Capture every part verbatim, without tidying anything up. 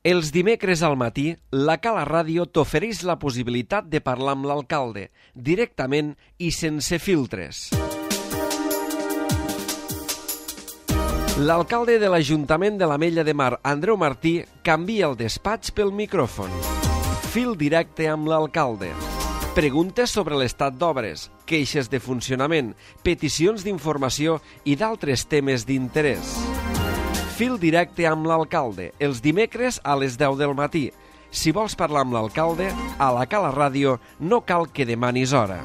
Els dimecres al matí, la Cala Ràdio t'ofereix la possibilitat de parlar amb l'alcalde, directament i sense filtres. L'alcalde de l'Ajuntament de l'Ametlla de Mar, Andreu Martí, canvia el despatx pel micròfon. Fil directe amb l'alcalde. Preguntes sobre l'estat d'obres, queixes de funcionament, peticions d'informació i d'altres temes d'interès. Fil directe amb l'alcalde, els dimecres a les deu del matí. Si vols parlar amb l'alcalde, a la Cala Ràdio no cal que demanis hora.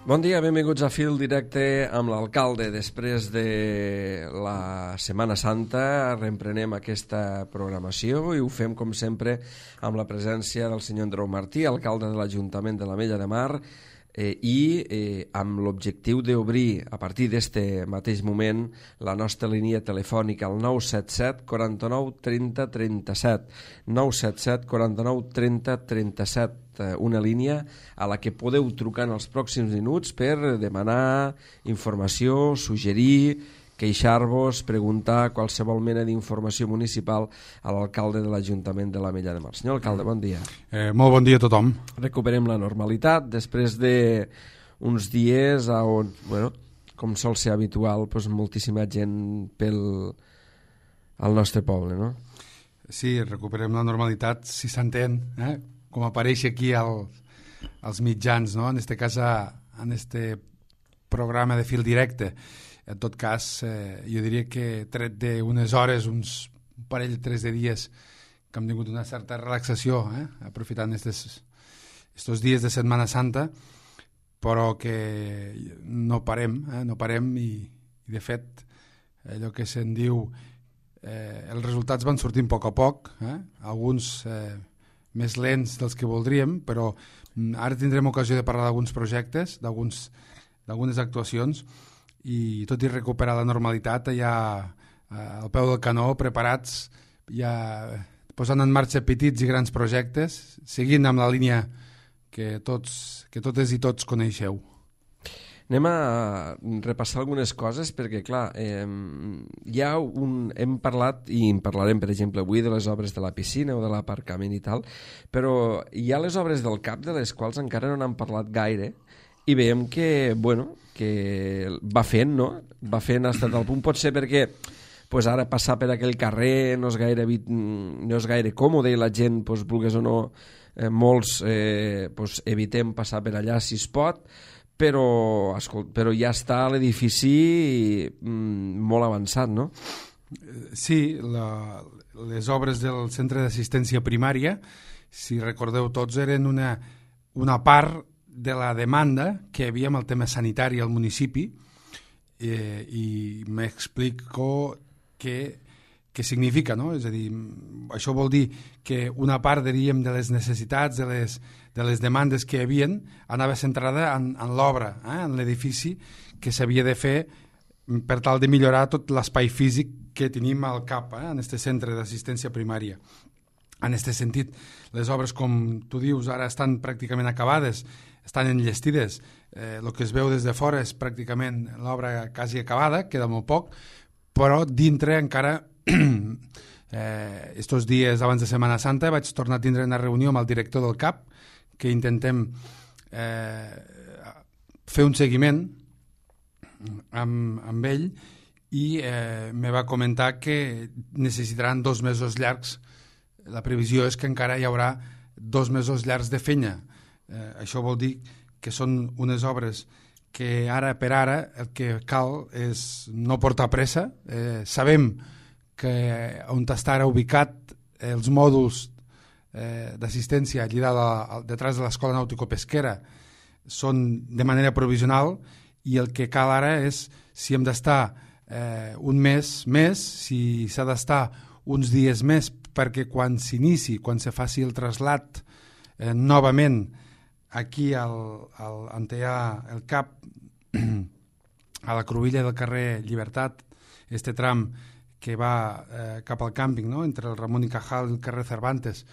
Bon dia, benvinguts a Fil Directe amb l'alcalde. Després de la Setmana Santa reemprenem aquesta programació i ho fem, com sempre, amb la presència del senyor Andreu Martí, alcalde de l'Ajuntament de l'Ametlla de Mar, eh, i eh, amb l'objectiu d'obrir, a partir d'aquest mateix moment, la nostra línia telefònica al nou set set, quaranta-nou, trenta, trenta-set. nou set set, quaranta-nou, trenta, trenta-set. Una línia a la que podeu trucar en els pròxims minuts per demanar informació, suggerir, queixar-vos, preguntar qualsevol mena d'informació municipal a l'alcalde de l'Ajuntament de l'Ametlla de Mar. Senyor alcalde, bon dia. Eh, molt bon dia a tothom. Recuperem la normalitat després d'uns dies on, bueno, com sol ser habitual, doncs, moltíssima gent pel al nostre poble, no? Sí, recuperem la normalitat, si s'entén, eh? Com apareix aquí al, als mitjans, no? En este cas, a, en este programa de fil directe. En tot cas, eh, jo diria que tret d'unes hores, uns un parell, tres de dies, que hem tingut una certa relaxació, eh? Aprofitant estos, estos dies de Setmana Santa, però que no parem, eh? no parem i, i de fet, allò que se'n diu, eh, els resultats van sortint a poc a poc, eh? Alguns eh, més lents dels que voldríem, però ara tindrem ocasió de parlar d'alguns projectes, d'algunes actuacions, i tot i recuperar la normalitat, ja al peu del canó, preparats, ja posant en marxa petits i grans projectes, seguint amb la línia que, tots, que totes i tots coneixeu. Anem a repassar algunes coses perquè, clar, eh, hi ha un, hem parlat, i en parlarem, per exemple, avui de les obres de la piscina o de l'aparcament i tal, però hi ha les obres del C A P de les quals encara no n'han parlat gaire i veiem que, bueno, que va fent, no? Va fent fins al punt, pot ser perquè pues ara passar per aquell carrer no és gaire, no és gaire còmode i la gent, pues, vulgués o no, eh, molts eh, pues, evitem passar per allà si es pot, però, escolta, però ja està l'edifici mm, molt avançat, no? Sí, la, les obres del centre d'assistència primària, si recordeu tots, eren una, una part de la demanda que hi havia amb el tema sanitari al municipi, eh, i m'explico què, què significa, no? És a dir, això vol dir que una part, diríem, de les necessitats, de les, de les demandes que hi havia, anava centrada en, en l'obra, eh? En l'edifici que s'havia de fer per tal de millorar tot l'espai físic que tenim al C A P, eh? En aquest centre d'assistència primària. En aquest sentit, les obres, com tu dius, ara estan pràcticament acabades, estan enllestides. Eh, el que es veu des de fora és pràcticament l'obra quasi acabada, queda molt poc, però dintre encara... Eh, estos dies abans de Setmana Santa vaig tornar a tindre una reunió amb el director del C A P que intentem eh, fer un seguiment amb, amb ell i eh, me va comentar que necessitaran dos mesos llargs. La previsió és que encara hi haurà dos mesos llargs de feina. Eh, això vol dir que són unes obres que ara per ara el que cal és no portar pressa. Eh, sabem que on està ara ubicat els mòduls eh, d'assistència allà detrás de l'Escola Nàutico-Pesquera són de manera provisional i el que cal ara és si hem d'estar eh, un mes més, si s'ha d'estar uns dies més perquè quan s'inici, quan se faci el trasllat eh, novament aquí al, al, on hi ha el cap a la cruïlla del carrer Llibertat, este tram que va eh, cap al càmping, no? Entre el Ramon i Cajal i el carrer Cervantes,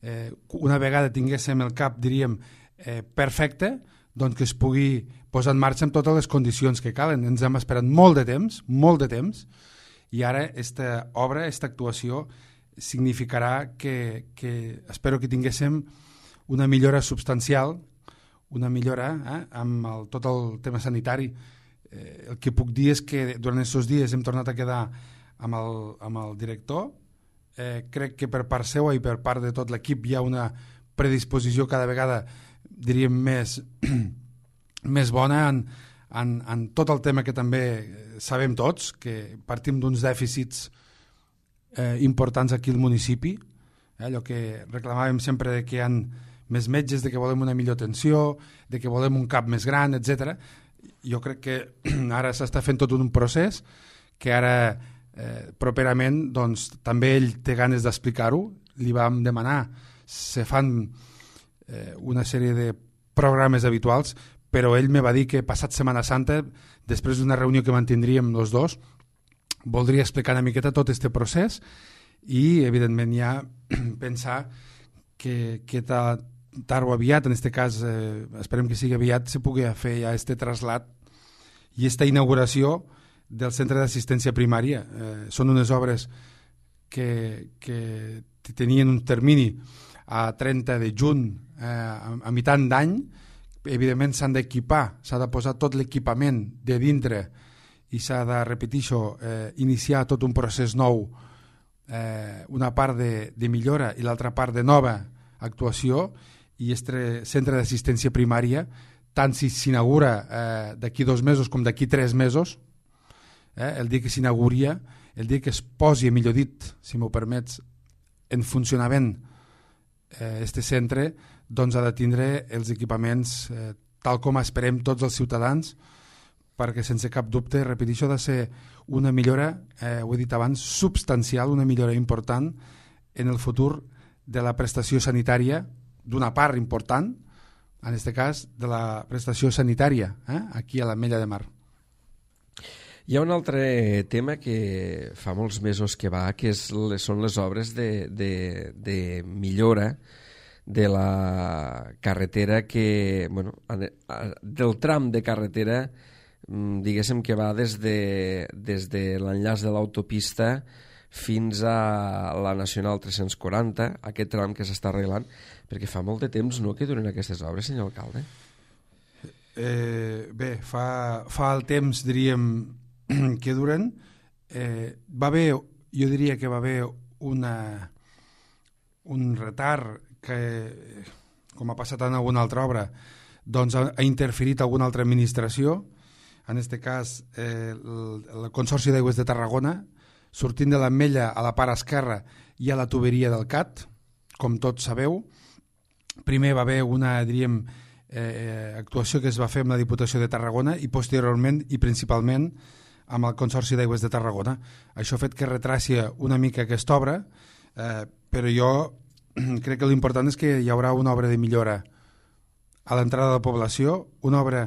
eh, una vegada tinguéssim el cap, diríem, eh, perfecte, doncs que es pugui posar en marxa amb totes les condicions que calen. Ens hem esperat molt de temps, molt de temps, i ara aquesta obra, aquesta actuació significarà que, que espero que tinguéssim una millora substancial, una millora eh, amb el, tot el tema sanitari. Eh, el que puc dir és que durant aquests dies hem tornat a quedar amb el, amb el director. Eh, crec que per part seva i per part de tot l'equip hi ha una predisposició cada vegada, diríem, més, més bona en, en, en tot el tema que també sabem tots, que partim d'uns dèficits eh, importants aquí al municipi, eh, allò que reclamàvem sempre de que hi ha més metges, de que volem una millor atenció, de que volem un cap més gran, etcètera. Jo crec que ara s'està fent tot un procés que ara eh, properament doncs, també ell té ganes d'explicar-ho. Li vam demanar, se fan eh, una sèrie de programes habituals, però ell me va dir que passat Setmana Santa, després d'una reunió que mantindríem els dos, voldria explicar una miqueta tot aquest procés i, evidentment, ja pensar que, que tard o aviat, en aquest cas, eh, esperem que sigui aviat, se pugui fer ja aquest trasllat i aquesta inauguració del centre d'assistència primària. Eh, són unes obres que, que tenien un termini a trenta de juny, eh, a, a mitant d'any. Evidentment s'han d'equipar, s'ha de posar tot l'equipament de dintre i s'ha de, repeteixo, eh, iniciar tot un procés nou, eh, una part de, de millora i l'altra part de nova actuació, i este centre d'assistència primària, tant si s'inaugura eh, d'aquí dos mesos com d'aquí tres mesos, eh, el dia que s'inauguria, el dia que es posi, millor dit, si m'ho permets, en funcionament eh, este centre, doncs ha de tindre els equipaments eh, tal com esperem tots els ciutadans, perquè sense cap dubte, repeteixo, ha de ser una millora, eh, ho he dit abans, substancial, una millora important en el futur de la prestació sanitària, d'una part important, en aquest cas, de la prestació sanitària, eh, aquí a l'Ametlla de Mar. Hi ha un altre tema que fa molts mesos que va, que és, són les obres de, de, de millora de la carretera que, bueno, del tram de carretera, diguéssim que va des de, des de l'enllaç de l'autopista fins a la Nacional tres-cents quaranta, aquest tram que s'està arreglant, perquè fa molt de temps, no?, que duren aquestes obres, senyor alcalde? Eh, bé, fa, fa el temps, diríem, que duren. Eh, va haver, jo diria que va haver una, un retard que, com ha passat en alguna altra obra, doncs ha, ha interferit alguna altra administració, en aquest cas eh, el, el Consorci d'Aigües de Tarragona, sortint de l'Ametlla a la part esquerra hi ha la tuberia del C A T, com tots sabeu. Primer va haver una, diríem, eh, actuació que es va fer amb la Diputació de Tarragona i posteriorment i principalment amb el Consorci d'Aigües de Tarragona. Això ha fet que retràcia una mica aquesta obra, eh, però jo crec que l'important és que hi haurà una obra de millora a l'entrada de la població, una obra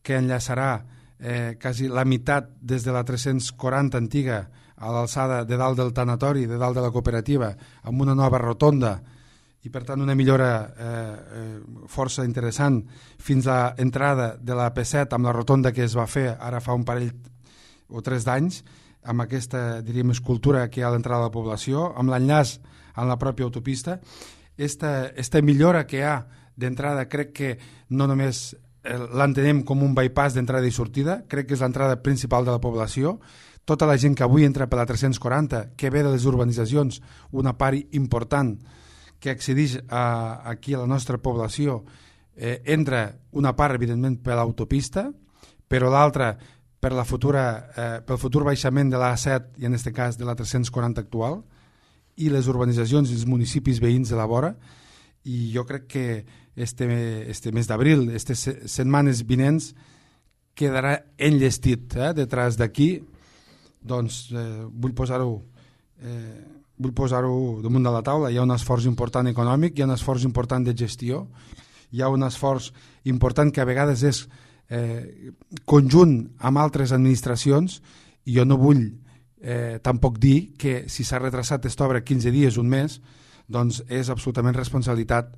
que enllaçarà eh, quasi la meitat des de la tres-cents quaranta antiga a l'alçada de dalt del tanatori, de dalt de la cooperativa, amb una nova rotonda i per tant una millora eh, eh, força interessant fins a l'entrada de la P set amb la rotonda que es va fer ara fa un parell o tres d'anys, amb aquesta, diríem, escultura que hi ha a l'entrada de la població, amb l'enllaç amb la pròpia autopista. Esta, esta millora que hi ha d'entrada crec que no només l'entenem com un bypass d'entrada i sortida, crec que és l'entrada principal de la població. Tota la gent que avui entra per la tres-cents quaranta, que ve de les urbanitzacions, una part important que accedeix a, aquí a la nostra població, eh, entra una part, evidentment, per l'autopista, però l'altra per la futura, eh, pel futur baixament de l'A set i en aquest cas de la tres-cents quaranta actual, i les urbanitzacions i els municipis veïns de la vora. I jo crec que este, este mes d'abril, aquestes setmanes vinents, quedarà enllestit, eh, detrás d'aquí. Doncs eh, vull posar-ho eh, vull posar-ho damunt de la taula, hi ha un esforç important econòmic, hi ha un esforç important de gestió, hi ha un esforç important que a vegades és eh, conjunt amb altres administracions, i jo no vull eh, tampoc dir que si s'ha retrasat aquesta obra quinze dies, un mes, doncs és absolutament responsabilitat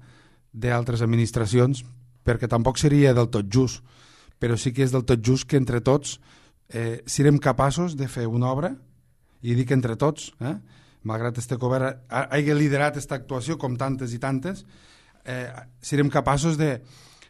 d'altres administracions, perquè tampoc seria del tot just, però sí que és del tot just que entre tots eh, siguem capaços de fer una obra, i dic entre tots, eh, malgrat este govern hagi liderat aquesta actuació com tantes i tantes, eh, serem capaços de,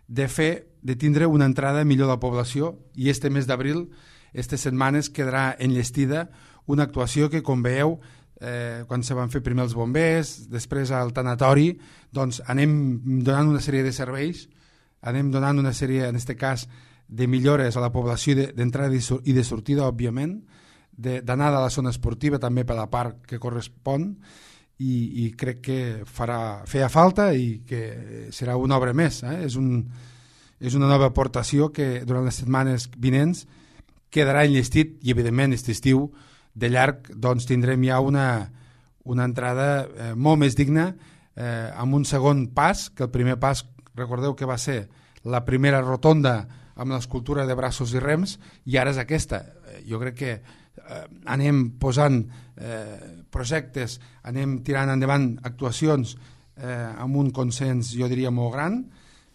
de fer, de tindre una entrada millor a la població, i este mes d'abril, aquestes setmanes, quedarà enllestida una actuació que, com veieu, eh, quan se van fer primer els bombers, després al tanatori, doncs anem donant una sèrie de serveis, anem donant una sèrie, en aquest cas, de millores a la població d'entrada i de sortida, òbviament, d'anada a la zona esportiva també per la part que correspon, i, i crec que farà, feia falta i que serà una obra més. Eh? És, un, és una nova aportació que durant les setmanes vinents quedarà enllestit, i evidentment aquest estiu de llarg doncs, tindrem ja una, una entrada eh, molt més digna, eh, amb un segon pas, que el primer pas, recordeu que va ser la primera rotonda amb l'escultura de braços i rems, i ara és aquesta. Jo crec que eh, anem posant eh, projectes, anem tirant endavant actuacions eh, amb un consens, jo diria, molt gran.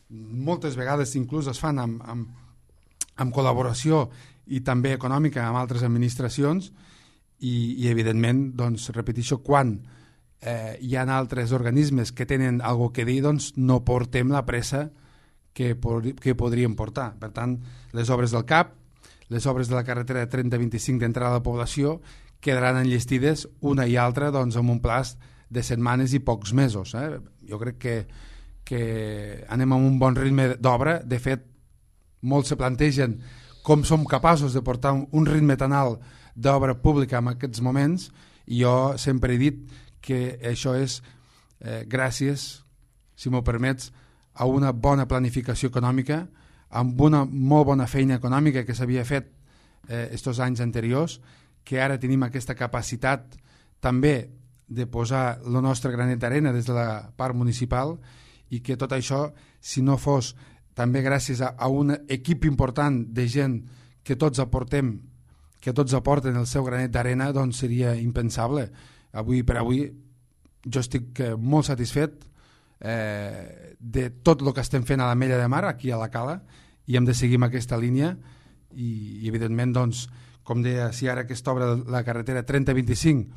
Moltes vegades inclús es fan amb, amb, amb col·laboració i també econòmica amb altres administracions, i, i evidentment, doncs, repeteixo, quan eh, hi ha altres organismes que tenen alguna que dir, doncs no portem la pressa que, que podríem portar. Per tant, les obres del C A P, les obres de la carretera trenta vint-i-cinc d'entrada a la població quedaran enllestides una i altra doncs, amb un plaç de setmanes i pocs mesos. Eh? Jo crec que, que anem amb un bon ritme d'obra. De fet, molts se plantegen com som capaços de portar un ritme tan alt d'obra pública en aquests moments, i jo sempre he dit que això és eh, gràcies, si m'ho permets, a una bona planificació econòmica, amb una molt bona feina econòmica que s'havia fet aquests eh, anys anteriors, que ara tenim aquesta capacitat també de posar el nostre granet d'arena des de la part municipal, i que tot això, si no fos també gràcies a, a un equip important de gent que tots aportem, que tots aporten el seu granet d'arena, doncs seria impensable. Avui per avui jo estic molt satisfet eh, de tot el que estem fent a la Mella de Mar, aquí a la Cala, i hem de seguir amb aquesta línia, i, i evidentment, doncs, com deia, si ara aquesta obra de la carretera trenta vint-i-cinc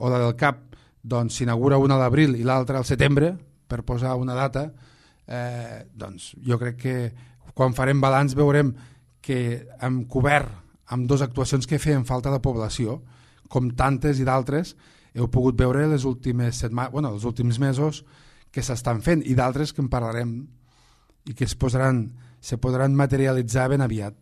o la del C A P doncs s'inaugura una a l'abril i l'altra al setembre, per posar una data, eh, doncs jo crec que quan farem balanç veurem que hem cobert amb dues actuacions que feien falta a la població, com tantes i d'altres heu pogut veure les últimes setmanes, bueno, els últims mesos que s'estan fent, i d'altres que en parlarem i que es posaran, se podran materialitzar ben aviat.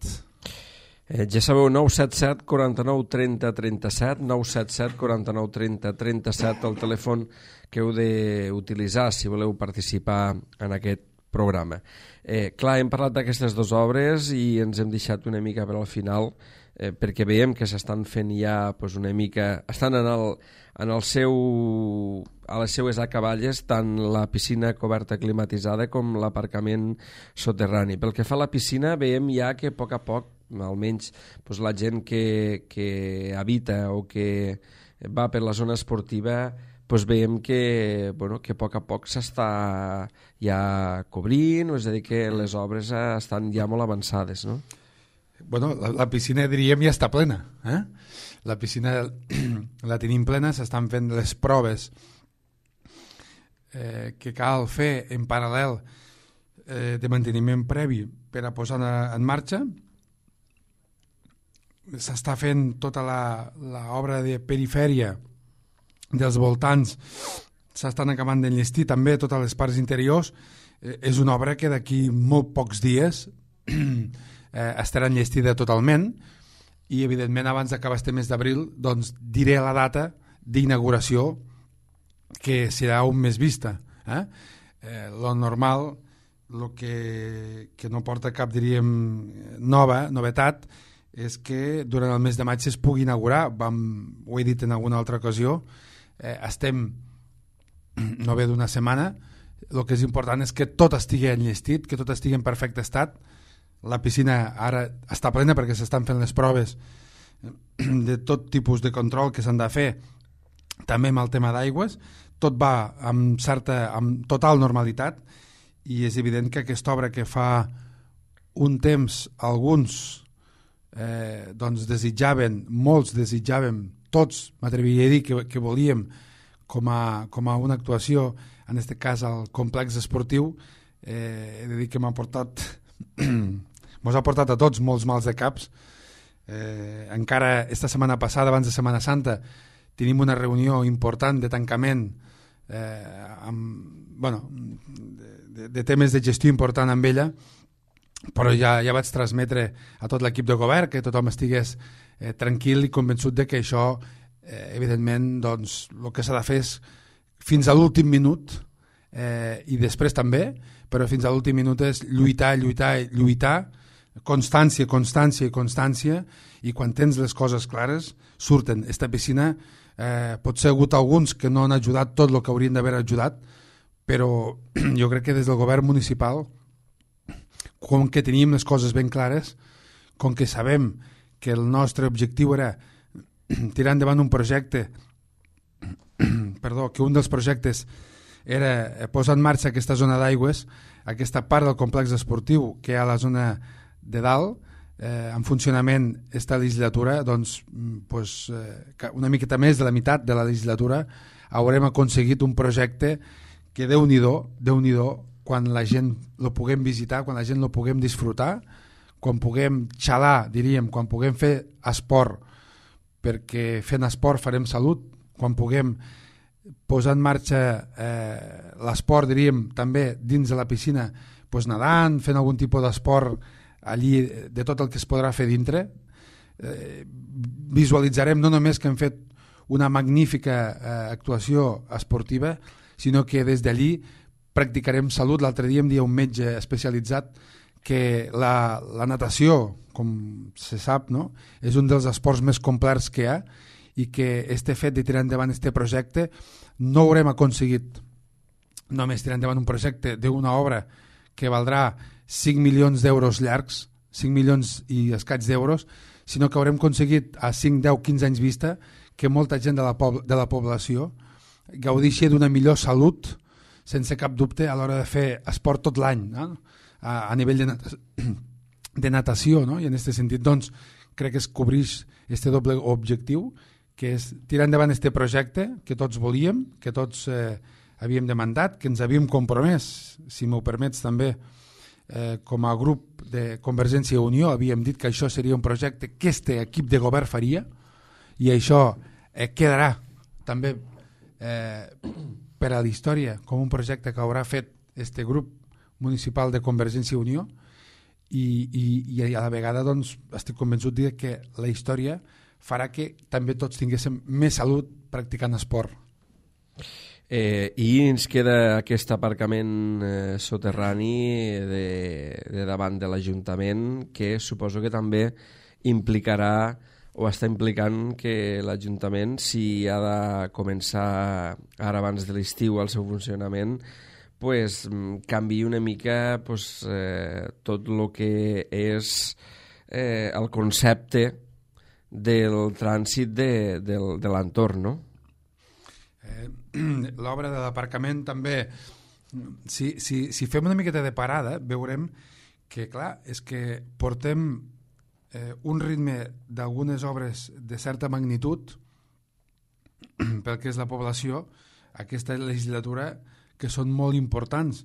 Eh, ja sabeu, nou set set, quaranta-nou, trenta, trenta-set, nou set set, quaranta-nou, trenta, trenta-set, el telèfon que heu d'utilitzar si voleu participar en aquest programa. Eh, clar, hem parlat d'aquestes dues obres i ens hem deixat una mica per al final, eh, perquè veiem que s'estan fent ja pues, una mica, estan en el, en el seu, a les seues acaballes, tant la piscina coberta climatitzada com l'aparcament soterrani. Pel que fa a la piscina, veiem ja que a poc a poc, almenys pues, la gent que, que habita o que va per la zona esportiva, pues veiem que, bueno, que a poc a poc s'està ja cobrint, és a dir, que les obres estan ja molt avançades, no? Bueno, la, la piscina, diríem, ja està plena. Eh? La piscina la tenim plena, s'estan fent les proves eh, que cal fer en paral·lel eh, de manteniment previ per a posar en marxa. S'està fent tota l'obra de perifèria dels voltants, s'estan acabant d'enllestir també totes les parts interiors. Eh, és una obra que d'aquí molt pocs dies eh, estarà enllestida totalment, i evidentment abans d'acabar este mes d'abril doncs diré la data d'inauguració, que serà un mes vista. Eh? Eh, lo normal, lo que, que no porta cap, diríem, nova, novetat, és que durant el mes de maig es pugui inaugurar. Vam, ho he dit en alguna altra ocasió, eh, estem no ve d'una setmana, el que és important és que tot estigui enllestit, que tot estigui en perfecte estat. La piscina ara està plena perquè s'estan fent les proves de tot tipus de control que s'han de fer, també amb el tema d'aigües. Tot va amb certa, amb total normalitat, i és evident que aquesta obra que fa un temps alguns eh, doncs desitjaven, molts desitjaven, tots m'atreviria a dir que, que volíem com a, com a una actuació, en aquest cas al complex esportiu, eh, he de dir que m'ha portat mos ha portat a tots molts mals de caps. Eh, encara esta setmana passada, abans de Setmana Santa, tenim una reunió important de tancament eh, amb, bueno, de, de temes de gestió important amb ella, però ja, ja vaig transmetre a tot l'equip de govern que tothom estigués eh, tranquil i convençut de que això, eh, evidentment, doncs, el que s'ha de fer és fins a l'últim minut, eh, i després també, però fins a l'últim minut és lluitar, lluitar, lluitar, constància, constància i constància, i quan tens les coses clares surten. Esta piscina eh, pot ser hagut alguns que no han ajudat tot el que haurien d'haver ajudat, però jo crec que des del govern municipal, com que teníem les coses ben clares, com que sabem que el nostre objectiu era tirar endavant un projecte, perdó, que un dels projectes era posar en marxa aquesta zona d'aigües, aquesta part del complex esportiu que hi ha a la zona de dalt, eh, en funcionament esta legislatura, doncs, pues, eh, una miqueta més de la meitat de la legislatura haurem aconseguit un projecte que Déu-n'hi-do, Déu-n'hi-do, quan la gent lo puguem visitar, quan la gent lo puguem disfrutar, quan puguem xalar, diríem, quan puguem fer esport, perquè fent esport farem salut, quan puguem posar en marxa eh, l'esport, diríem, també dins de la piscina, pues, nedant, fent algun tipus d'esport allí, de tot el que es podrà fer dintre. Eh, visualitzarem no només que hem fet una magnífica eh, actuació esportiva, sinó que des d'allí practicarem salut. L'altre dia em deia un metge especialitzat que la, la natació, com se sap, no? És un dels esports més complets que hi ha, i que este fet de tirar endavant este projecte no haurem aconseguit només tirar endavant un projecte d'una obra que valdrà cinc milions d'euros llargs, cinc milions i escaig d'euros, sinó que haurem aconseguit a cinc, deu, quinze anys vista que molta gent de la, pob de la població gaudixi d'una millor salut, sense cap dubte, a l'hora de fer esport tot l'any, no? a, a nivell de, nat de natació, no? I en aquest sentit, doncs, crec que es cobreix este doble objectiu, que és tirar endavant este projecte que tots volíem, que tots eh, havíem demandat, que ens havíem compromès, si m'ho permets també, eh, com a grup de Convergència i Unió, havíem dit que això seria un projecte que este equip de govern faria, i això eh, quedarà també eh, per a la història com un projecte que haurà fet este grup municipal de Convergència i Unió, i, i, i a la vegada, doncs, estic convençut de que la història farà que també tots tinguéssim més salut practicant esport. Eh, I ens queda aquest aparcament eh, soterrani de, de davant de l'Ajuntament, que suposo que també implicarà o està implicant que l'Ajuntament, si ha de començar ara abans de l'estiu el seu funcionament, pues, canviï una mica pues, eh, tot el que és eh, el concepte del trànsit de, de, de l'entorn, no? Eh, L'obra de l'aparcament també, si, si, si fem una miqueta de parada, veurem que, clar, és que portem eh, un ritme d'algunes obres de certa magnitud pel que és la població, aquesta legislatura, que són molt importants.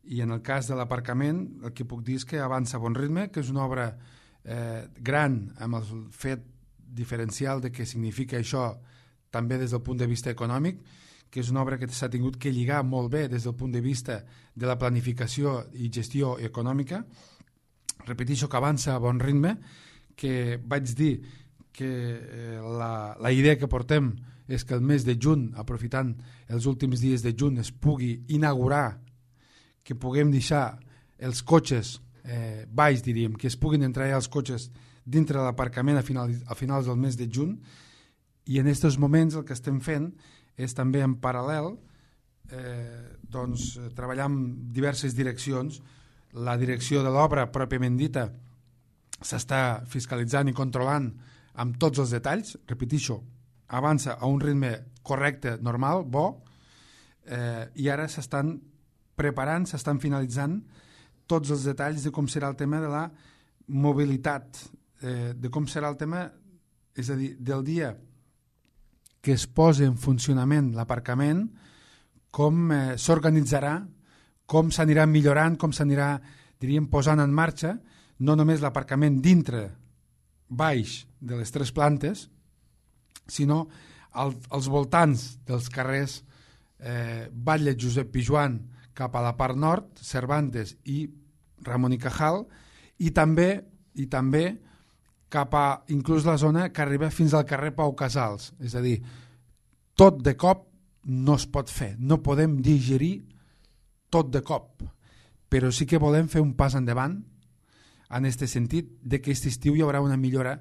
I en el cas de l'aparcament, el que puc dir és que avança a bon ritme, que és una obra eh, gran, amb el fet diferencial de què significa això també des del punt de vista econòmic, que és una obra que s'ha tingut que lligar molt bé des del punt de vista de la planificació i gestió econòmica. Repeteixo que avança a bon ritme, que vaig dir que eh, la, la idea que portem és que el mes de juny, aprofitant els últims dies de juny, es pugui inaugurar, que puguem deixar els cotxes eh, baix, diríem, que es puguin entrar ja els cotxes dintre de l'aparcament a, final, a finals del mes de juny, I en aquests moments el que estem fent és també en paral·lel eh, doncs, treballar en diverses direccions. La direcció de l'obra pròpiament dita s'està fiscalitzant i controlant amb tots els detalls, repetixo, avança a un ritme correcte, normal, bo, eh, i ara s'estan preparant, s'estan finalitzant tots els detalls de com serà el tema de la mobilitat, eh, de com serà el tema, és a dir, del dia que es posa en funcionament l'aparcament, com eh, s'organitzarà, com s'anirà millorant, com s'anirà, diríem, posant en marxa, no només l'aparcament dintre, baix de les tres plantes, sinó al, als voltants dels carrers eh, Batlle Josep Pijoan cap a la part nord, Cervantes i Ramon i Cajal, i també, i també cap a inclús la zona que arriba fins al carrer Pau Casals. És a dir, tot de cop no es pot fer, no podem digerir tot de cop, però sí que volem fer un pas endavant en aquest sentit de que aquest estiu hi haurà una millora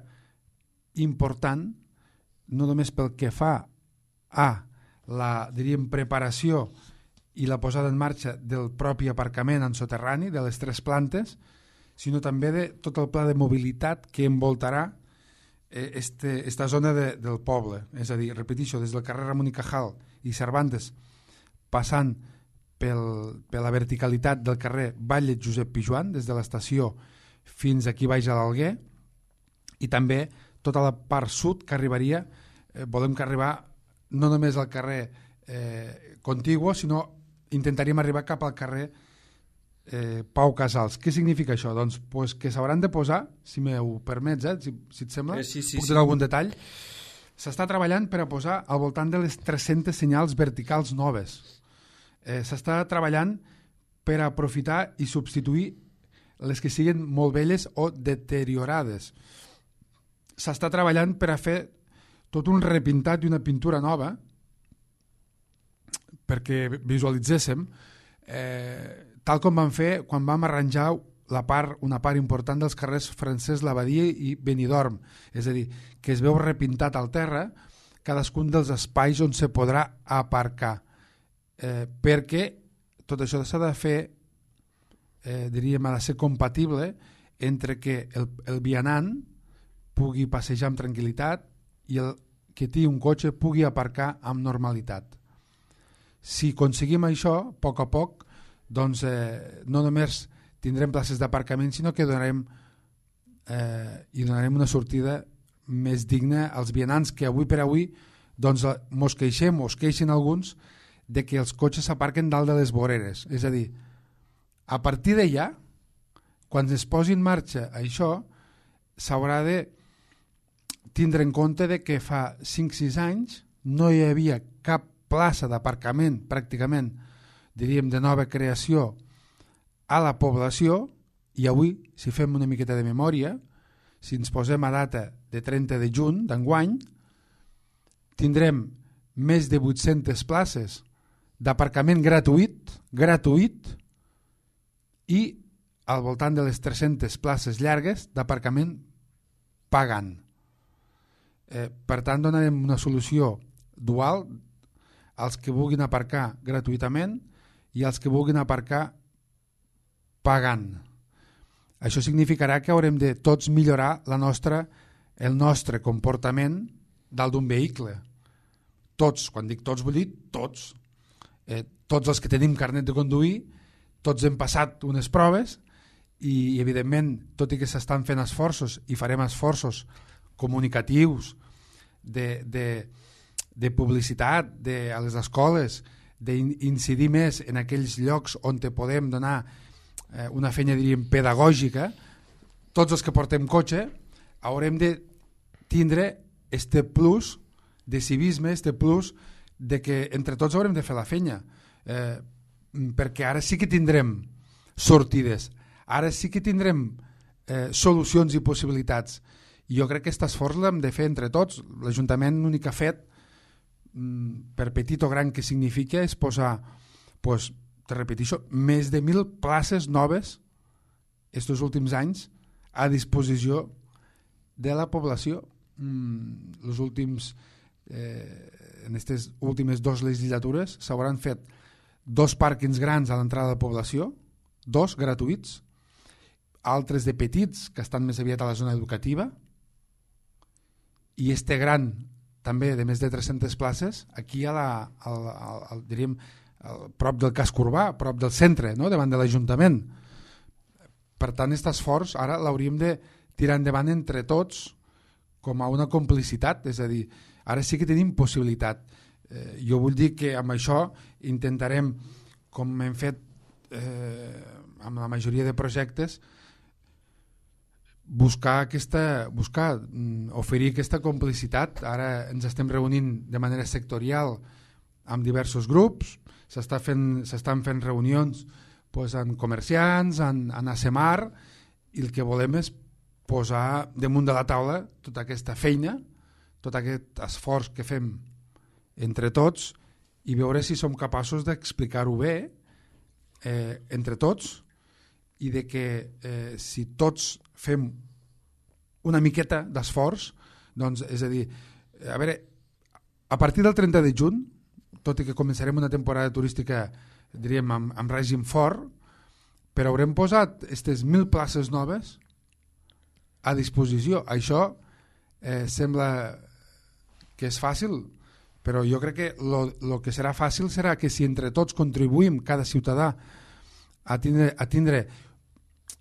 important, no només pel que fa a la, diríem, preparació i la posada en marxa del propi aparcament en soterrani de les tres plantes, sinó també de tot el pla de mobilitat que envoltarà eh, este, esta zona de, del poble. És a dir, repetixo, des del carrer Ramon i Cajal i Cervantes, passant pel, per la verticalitat del carrer Batlle Josep Pijoan, des de l'estació fins aquí baix a l'Alguer, i també tota la part sud que arribaria, eh, volem que arribar no només al carrer eh, contiguo, sinó intentaríem arribar cap al carrer Eh, Pau Casals. Què significa això? Doncs pues que s'hauran de posar, si m'ho permets, eh, si, si et sembla, eh, sí, sí, puc sí. donar algun detall. S'està treballant per a posar al voltant de les tres-centes senyals verticals noves. Eh, s'està treballant per a aprofitar i substituir les que siguin molt velles o deteriorades. S'està treballant per a fer tot un repintat i una pintura nova perquè visualitzéssim eh, tal com vam fer quan vam arranjar la part, una part important dels carrers Francesc Labadia i Benidorm, és a dir, que es veu repintat al terra cadascun dels espais on se podrà aparcar, eh, perquè tot això s'ha de fer, eh, diríem, ha de ser compatible entre que el, el vianant pugui passejar amb tranquil·litat i el que tingui un cotxe pugui aparcar amb normalitat. Si aconseguim això, a poc a poc, doncs eh, no només tindrem places d'aparcament, sinó que donarem, eh, i donarem una sortida més digna als vianants que avui per avui doncs, mos queixem o es queixen alguns de que els cotxes s'aparquen dalt de les voreres. És a dir, a partir d'allà, quan es posi en marxa això, s'haurà de tindre en compte de que fa cinc sis anys no hi havia cap plaça d'aparcament pràcticament, diríem, de nova creació a la població, i avui, si fem una miqueta de memòria, si ens posem a data de trenta de juny d'enguany, tindrem més de vuit-centes places d'aparcament gratuït, gratuït, i al voltant de les tres-centes places llargues d'aparcament pagant. Eh, per tant, donarem una solució dual als que vulguin aparcar gratuïtament i als que vulguin aparcar pagant. Això significarà que haurem de tots millorar la nostra, el nostre comportament dalt d'un vehicle. Tots, quan dic tots vull dir tots. Eh, tots els que tenim carnet de conduir, tots hem passat unes proves i, evidentment, tot i que s'estan fent esforços i farem esforços comunicatius, de, de, de publicitat de, a les escoles, d'incidir més en aquells llocs on te podem donar eh, una feina, diríem, pedagògica, tots els que portem cotxe haurem de tindre este plus de civisme, este plus de que entre tots haurem de fer la feina, eh, perquè ara sí que tindrem sortides, ara sí que tindrem eh, solucions i possibilitats. I jo crec que aquest esforç l'hem de fer entre tots. L'Ajuntament l'únic que ha fet, per petit o gran que significa, és posar, pues, te repeteixo, més de mil places noves estos últims anys a disposició de la població. Els últims eh, en aquestes últimes dues legislatures s'hauran fet dos pàrquings grans a l'entrada de la població, dos gratuïts, altres de petits que estan més aviat a la zona educativa, i este gran també de més de tres-centes places aquí a la, al, al, al, diríem, al, prop del casc urbà, prop del centre, no? Davant de l'Ajuntament. Per tant, aquest esforç ara l'hauríem de tirar endavant entre tots com a una complicitat, és a dir, ara sí que tenim possibilitat. Eh, jo vull dir que amb això intentarem, com hem fet eh, amb la majoria de projectes, buscar aquesta, buscar, oferir aquesta complicitat. Ara ens estem reunint de manera sectorial amb diversos grups, s'està fent, s'estan fent reunions pues, amb comerciants, en, en ASEMAR, i el que volem és posar damunt de la taula tota aquesta feina, tot aquest esforç que fem entre tots i veure si som capaços d'explicar-ho bé eh, entre tots, i de que eh, si tots fem una miqueta d'esforç, doncs, és a dir, a veure, a partir del trenta de juny, tot i que començarem una temporada turística, diríem, amb, amb règim fort, però haurem posat aquestes mil places noves a disposició. Això eh, sembla que és fàcil, però jo crec que el que serà fàcil serà que si entre tots contribuïm, cada ciutadà, a tindre, a tindre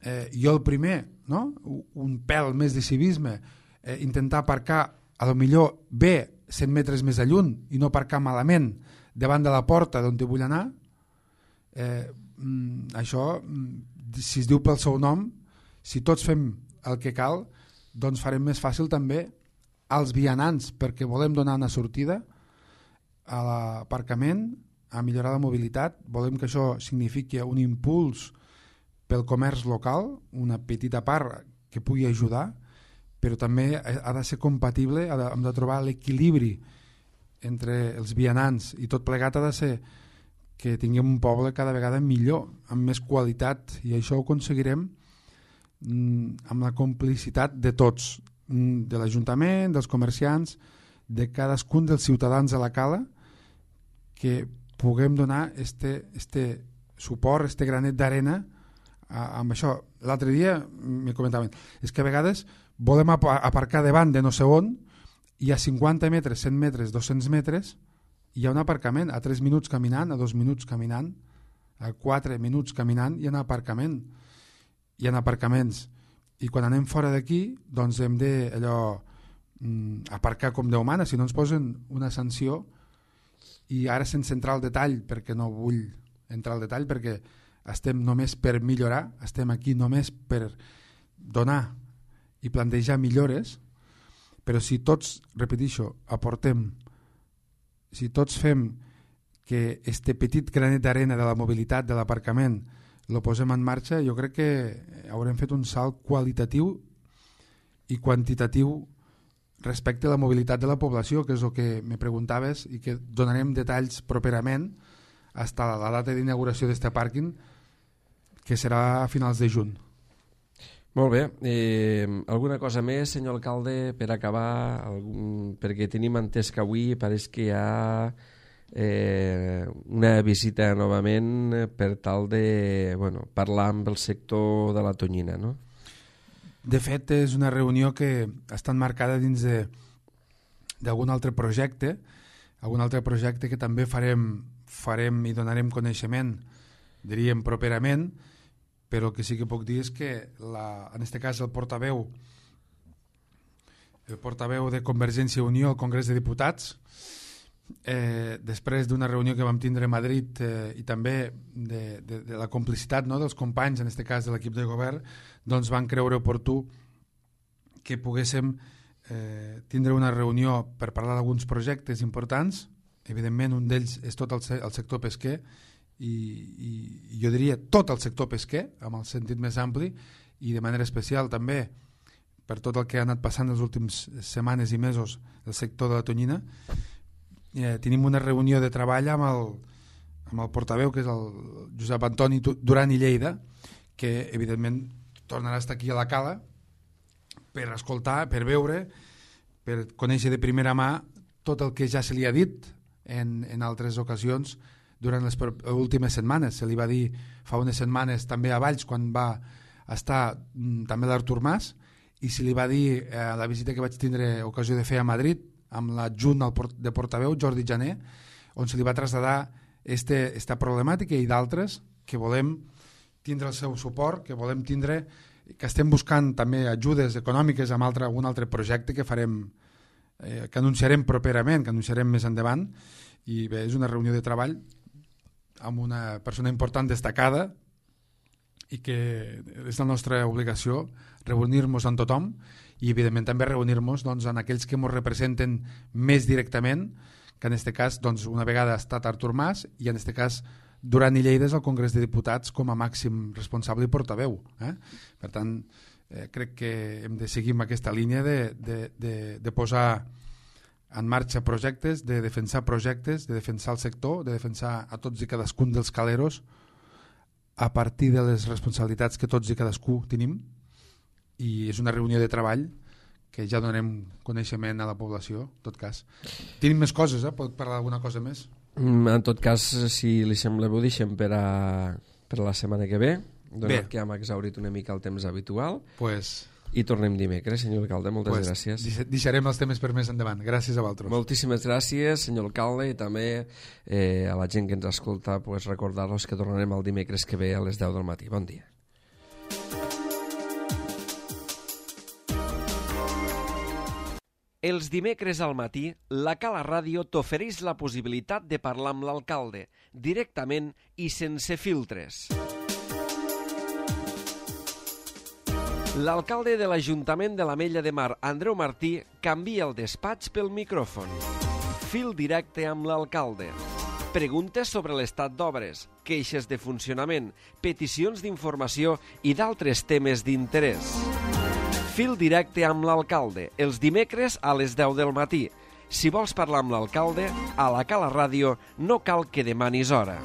eh, jo el primer, no? Un pèl més de civisme, eh, intentar aparcar a lo millor bé cent metres més a lluny i no aparcar malament davant de la porta d'on te vull anar, eh, això, si es diu pel seu nom, si tots fem el que cal, doncs farem més fàcil també als vianants, perquè volem donar una sortida a l'aparcament, a millorar la mobilitat. Volem que això signifiqui un impuls pel comerç local, una petita part que pugui ajudar, però també ha de ser compatible, hem de trobar l'equilibri entre els vianants, i tot plegat ha de ser que tinguem un poble cada vegada millor, amb més qualitat, i això ho aconseguirem amb la complicitat de tots, de l'Ajuntament, dels comerciants, de cadascun dels ciutadans de la cala, que puguem donar este, este suport, este granet d'arena amb això. L'altre dia m'hi comentaven, és que a vegades volem aparcar davant de no sé on, i a cinquanta metres, cent metres, dos-cents metres hi ha un aparcament, a tres minuts caminant, a dos minuts caminant, a quatre minuts caminant hi ha un aparcament, hi ha aparcaments, i quan anem fora d'aquí doncs hem de allò aparcar com Déu mana, si no ens posen una sanció. I ara sense entrar al detall, perquè no vull entrar al detall, perquè estem només per millorar, estem aquí només per donar i plantejar millores, però si tots, repeteixo, aportem, si tots fem que este petit granet d'arena de la mobilitat, de l'aparcament, lo posem en marxa, jo crec que haurem fet un salt qualitatiu i quantitatiu respecte a la mobilitat de la població, que és el que me preguntaves, i que donarem detalls properament fins a la data d'inauguració d'este pàrquing, que serà a finals de juny. Molt bé. Eh, alguna cosa més, senyor alcalde, per acabar? Algun... Perquè tenim entès que avui pareix que hi ha eh, una visita novament per tal de bueno, parlar amb el sector de la tonyina, no? De fet, és una reunió que està enmarcada dins d'algun altre projecte, algun altre projecte que també farem, farem i donarem coneixement, diríem, properament, però el que sí que puc dir és que, la, en aquest cas, el portaveu, el portaveu de Convergència i Unió al Congrés de Diputats, eh, després d'una reunió que vam tindre a Madrid eh, i també de, de, de la complicitat, no, dels companys, en aquest cas de l'equip de govern, doncs van creure oportú que poguéssim eh, tindre una reunió per parlar d'alguns projectes importants. Evidentment, un d'ells és tot el, el sector pesquer, i, i, i jo diria tot el sector pesquer, amb el sentit més ampli, i de manera especial també per tot el que ha anat passant les últimes setmanes i mesos del sector de la tonyina. Eh, tenim una reunió de treball amb el, amb el portaveu, que és el Josep Antoni Duran i Lleida, que evidentment tornarà a estar aquí a la cala per escoltar, per veure, per conèixer de primera mà tot el que ja se li ha dit en, en altres ocasions durant les últimes setmanes. Se li va dir fa unes setmanes també a Valls, quan va estar mm, també l'Artur Mas, i se li va dir a eh, la visita que vaig tindre ocasió de fer a Madrid amb l'adjunt de portaveu, Jordi Jané, on se li va traslladar este, esta problemàtica i d'altres que volem tindre el seu suport, que volem tindre, que estem buscant també ajudes econòmiques amb altre, un altre projecte que farem, eh, que anunciarem properament, que anunciarem més endavant, i bé, és una reunió de treball amb una persona important destacada i que és la nostra obligació reunir-nos amb tothom i evidentment també reunir-nos doncs, amb aquells que ens representen més directament, que en aquest cas doncs, una vegada ha estat Artur Mas i en aquest cas Duran i Lleida és al Congrés de Diputats com a màxim responsable i portaveu. Eh? Per tant, eh, crec que hem de seguir amb aquesta línia de, de, de, de posar en marxa projectes, de defensar projectes, de defensar el sector, de defensar a tots i cadascun dels caleros a partir de les responsabilitats que tots i cadascú tenim, i és una reunió de treball que ja donem coneixement a la població, en tot cas. Tenim més coses, eh? Pot parlar d'alguna cosa més? En tot cas, si li sembla bé, ho deixem per a, per a la setmana que ve, donat que hem exhaurit una mica el temps habitual. Pues... I tornem dimecres, senyor alcalde, moltes pues, gràcies. Deixarem els temes per més endavant. Gràcies a vosaltres. Moltíssimes gràcies, senyor alcalde, i també eh, a la gent que ens escolta, pues, recordar-los que tornarem el dimecres que ve a les deu del matí. Bon dia. Els dimecres al matí, la Cala Ràdio t'ofereix la possibilitat de parlar amb l'alcalde, directament i sense filtres. L'alcalde de l'Ajuntament de l'Ametlla de Mar, Andreu Martí, canvia el despatx pel micròfon. Fil directe amb l'alcalde. Preguntes sobre l'estat d'obres, queixes de funcionament, peticions d'informació i d'altres temes d'interès. Fil directe amb l'alcalde, els dimecres a les deu del matí. Si vols parlar amb l'alcalde, a la Cala Ràdio no cal que demanis hora.